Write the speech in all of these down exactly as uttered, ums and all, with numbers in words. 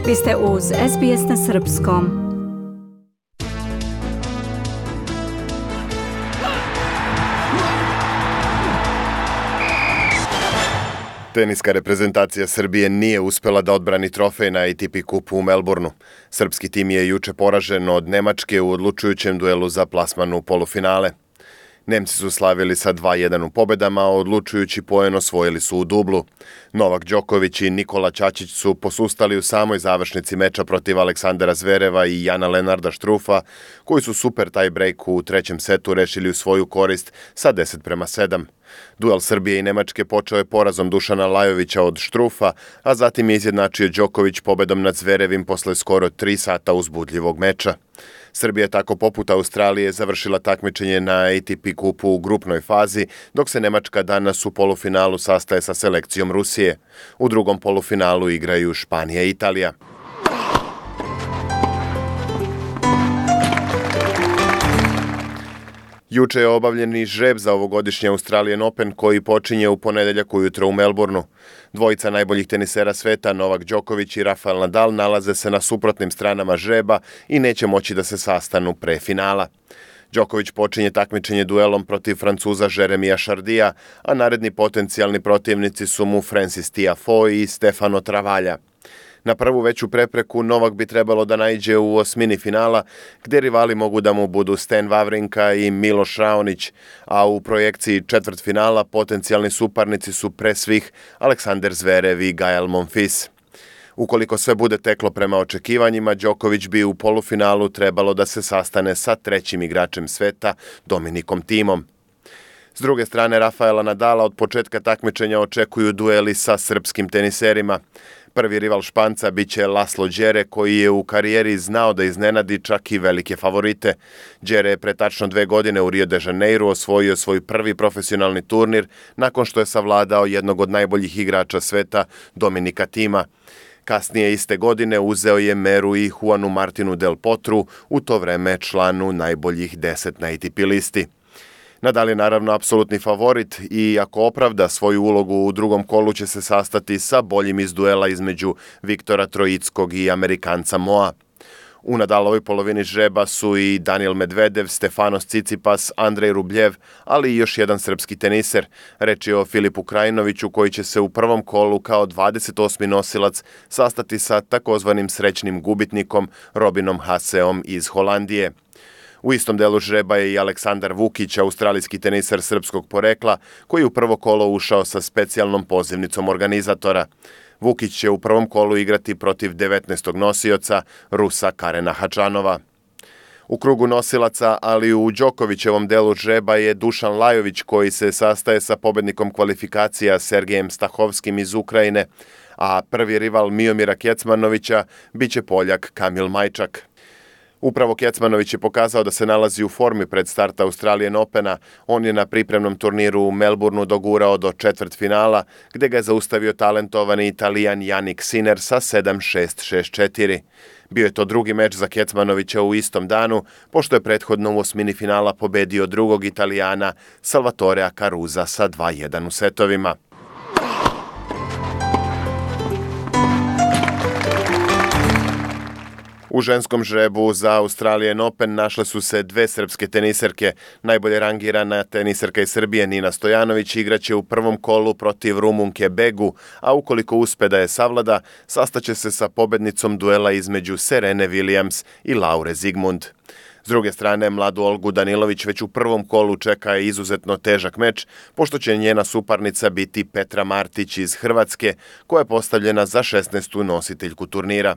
Vi ste uz S B S na srpskom. Teniska reprezentacija Srbije nije uspela da odbrani trofej na A T P kupu u Melbourneu. Srpski tim je juče poražen od Nemačke u odlučujućem duelu za plasman u polufinale. Nemci su slavili sa dva jedan u pobedama, a odlučujući poen osvojili su u dublu. Novak Đoković i Nikola Ćaćić su posustali u samoj završnici meča protiv Aleksandra Zvereva i Jana Lenarda Štrufa, koji su super tie break u trećem setu rešili u svoju korist sa deset prema sedam. Duel Srbije i Nemačke počeo je porazom Dušana Lajovića od Štrufa, a zatim je izjednačio Đoković pobedom nad Zverevim posle skoro tri sata uzbudljivog meča. Srbija je tako poput Australije završila takmičenje na A T P kupu u grupnoj fazi, dok se Nemačka danas u polufinalu sastaje sa selekcijom Rusije. U drugom polufinalu igraju Španija i Italija. Juče je obavljen i žreb za ovogodišnji Australian Open koji počinje u ponedeljak ujutro u Melbourneu. Dvojica najboljih tenisera sveta, Novak Đoković i Rafael Nadal, nalaze se na suprotnim stranama žreba i neće moći da se sastanu pre finala. Đoković počinje takmičenje duelom protiv Francuza Jeremija Chardija, a naredni potencijalni protivnici su mu Francis Tiafoe i Stefano Travaglia. Na prvu veću prepreku Novak bi trebalo da naiđe u osmini finala, gde rivali mogu da mu budu Stan Wawrinka i Miloš Raonić, a u projekciji četvrt finala potencijalni suparnici su pre svih Aleksandar Zverev i Gael Monfils. Ukoliko sve bude teklo prema očekivanjima, Đoković bi u polufinalu trebalo da se sastane sa trećim igračem sveta, Dominikom Thimom. S druge strane, Rafaela Nadala od početka takmičenja očekuju dueli sa srpskim teniserima. Prvi rival Španca biće Laslo Đere, koji je u karijeri znao da iznenadi čak i velike favorite. Đere je pre tačno dve godine u Rio de Janeiru osvojio svoj prvi profesionalni turnir nakon što je savladao jednog od najboljih igrača sveta, Dominika Thima. Kasnije iste godine uzeo je meru i Juanu Martinu Del Potru, u to vreme članu najboljih deset na A T P listi. Nadal je naravno apsolutni favorit i ako opravda svoju ulogu u drugom kolu će se sastati sa boljim iz duela između Viktora Trojickog i Amerikanca Moa. U Nadalovoj polovini žreba su i Daniel Medvedev, Stefanos Tsitsipas, Andrej Rubljev, ali i još jedan srpski teniser. Reč je o Filipu Krajinoviću koji će se u prvom kolu kao dvadeset osmi nosilac sastati sa takozvanim srećnim gubitnikom Robinom Haseom iz Holandije. U istom delu žreba je i Aleksandar Vukić, australijski teniser srpskog porekla, koji u prvo kolo ušao sa specijalnom pozivnicom organizatora. Vukić će u prvom kolu igrati protiv devetnaestog nosioca, Rusa Karena Hačanova. U krugu nosilaca, ali u Đokovićevom delu žreba je Dušan Lajović, koji se sastaje sa pobednikom kvalifikacija Sergejem Stahovskim iz Ukrajine, a prvi rival Miomira Kecmanovića biće Poljak Kamil Majčak. Upravo Kecmanović je pokazao da se nalazi u formi pred start Australian Opena. On je na pripremnom turniru u Melbourneu dogurao do četvrt finala, gde ga je zaustavio talentovani Italijan Jannik Sinner sa sedam šest šest četiri. Bio je to drugi meč za Kecmanovića u istom danu, pošto je prethodno u osmini finala pobedio drugog Italijana Salvatorea Caruza sa dva jedan u setovima. U ženskom žrebu za Australian Open našle su se dve srpske teniserke. Najbolje rangirana teniserka iz Srbije Nina Stojanović igraće u prvom kolu protiv Rumunke Begu, a ukoliko uspe da je savlada, sastaće se sa pobednicom duela između Serene Williams i Laure Zigmund. S druge strane, mladu Olgu Danilović već u prvom kolu čeka izuzetno težak meč, pošto će njena suparnica biti Petra Martić iz Hrvatske, koja je postavljena za šesnaestu nositeljku turnira.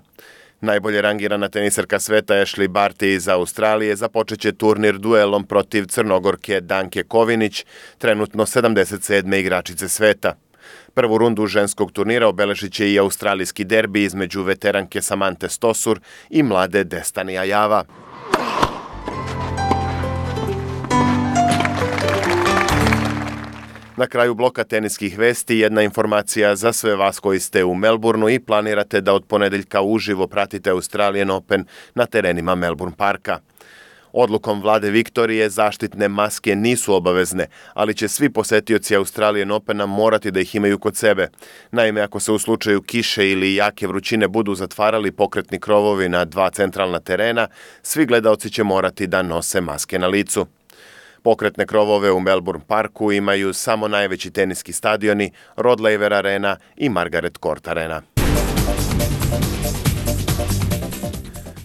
Najbolje rangirana teniserka sveta Ashley Barty iz Australije započeće turnir duelom protiv Crnogorke Danke Kovinić, trenutno sedamdeset sedme igračice sveta. Prvu rundu ženskog turnira obeležit će i australijski derbi između veteranke Samante Stosur i mlade Destany Ajava. Na kraju bloka teniskih vesti jedna informacija za sve vas koji ste u Melbourneu i planirate da od ponedeljka uživo pratite Australian Open na terenima Melbourne Parka. Odlukom vlade Viktorije zaštitne maske nisu obavezne, ali će svi posetioci Australian Opena morati da ih imaju kod sebe. Naime, ako se u slučaju kiše ili jake vrućine budu zatvarali pokretni krovovi na dva centralna terena, svi gledaoci će morati da nose maske na licu. Pokretne krovove u Melbourne Parku imaju samo najveći teniski stadioni, Rod Laver Arena i Margaret Court Arena.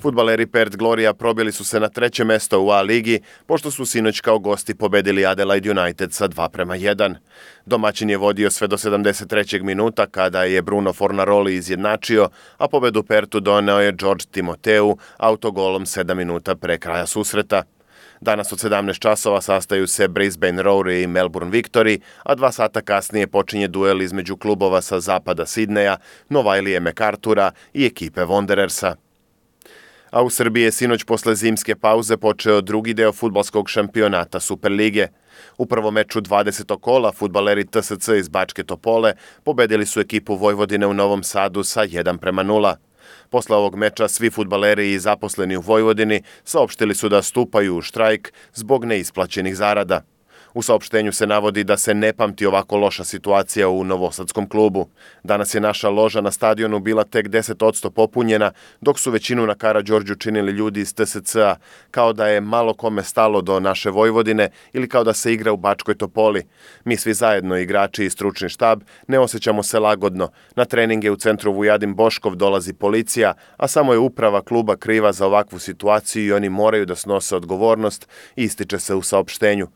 Fudbaleri Perth Gloria probili su se na treće mesto u A ligi, pošto su sinoć kao gosti pobedili Adelaide United sa dva prema jedan. Domaćin je vodio sve do sedamdeset trećeg minuta kada je Bruno Fornaroli izjednačio, a pobedu Perthu doneo je George Timoteu autogolom sedam minuta pre kraja susreta. Danas od sedamnaest časova sastaju se Brisbane Roar i Melbourne Victory, a dva sata kasnije počinje duel između klubova sa zapada Sidneja, Novailije MacArthura i ekipe Wanderersa. A u Srbiji je sinoć posle zimske pauze počeo drugi deo fudbalskog šampionata Superlige. U prvom meču dvadesetog kola fudbaleri T S C iz Bačke Topole pobedili su ekipu Vojvodine u Novom Sadu sa jedan prema nula. Posle ovog meča svi fudbaleri i zaposleni u Vojvodini saopštili su da stupaju u štrajk zbog neisplaćenih zarada. U saopštenju se navodi da se ne pamti ovako loša situacija u novosadskom klubu. Danas je naša loža na stadionu bila tek deset posto popunjena, dok su većinu na Karađorđu činili ljudi iz T S C-a, kao da je malo kome stalo do naše Vojvodine ili kao da se igra u Bačkoj Topoli. Mi svi zajedno, igrači i stručni štab, ne osjećamo se lagodno. Na treninge u centru Vujadin Boškov dolazi policija, a samo je uprava kluba kriva za ovakvu situaciju i oni moraju da snose odgovornost, ističe se u saopštenju.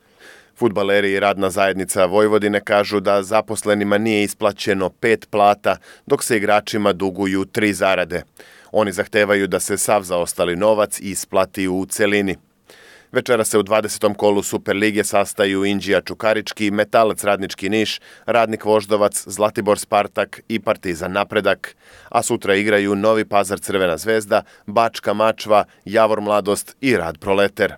Fudbaleri i radna zajednica Vojvodine kažu da zaposlenima nije isplaćeno pet plata, dok se igračima duguju tri zarade. Oni zahtevaju da se sav zaostali novac isplati u celini. Večera se u dvadesetom kolu Superlige sastaju Indija Čukarički, Metalac Radnički Niš, Radnik Voždovac, Zlatibor Spartak i Partizan Napredak. A sutra igraju Novi Pazar Crvena zvezda, Bačka Mačva, Javor Mladost i Rad Proleter.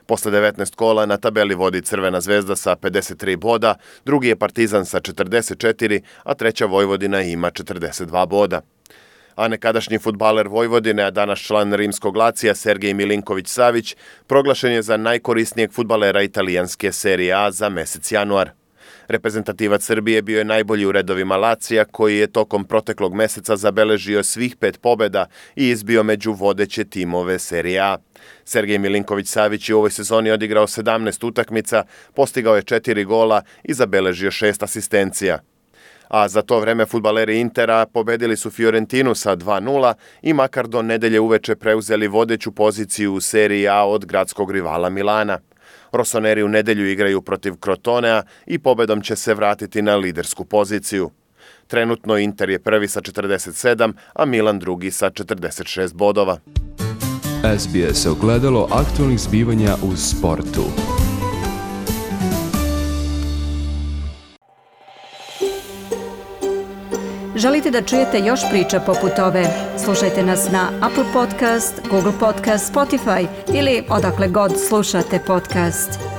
Posle devetnaest kola na tabeli vodi Crvena zvezda sa pedeset tri boda, drugi je Partizan sa četrdeset četiri, a treća Vojvodina ima četrdeset dva boda. A nekadašnji fudbaler Vojvodine, a danas član Rimskog Lacija Sergej Milinković-Savić, proglašen je za najkorisnijeg fudbalera italijanske Serije A za mesec januar. Reprezentativac Srbije bio je najbolji u redovima Lacija, koji je tokom proteklog meseca zabeležio svih pet pobeda i izbio među vodeće timove Serije A. Sergej Milinković-Savić je u ovoj sezoni odigrao sedamnaest utakmica, postigao je četiri gola i zabeležio šest asistencija. A za to vreme fudbaleri Intera pobedili su Fiorentinu sa dva nula i makar do nedelje uveče preuzeli vodeću poziciju u Seriji A od gradskog rivala Milana. Rosoneri u nedelju igraju protiv Crotonea i pobedom će se vratiti na lidersku poziciju. Trenutno Inter je prvi sa četrdeset sedam, a Milan drugi sa četrdeset šest bodova. S B S ogledalo aktualnih zbivanja u sportu. Želite da čujete još priča poput ove? Slušajte nas na Apple Podcast, Google Podcast, Spotify ili odakle god slušate podcast.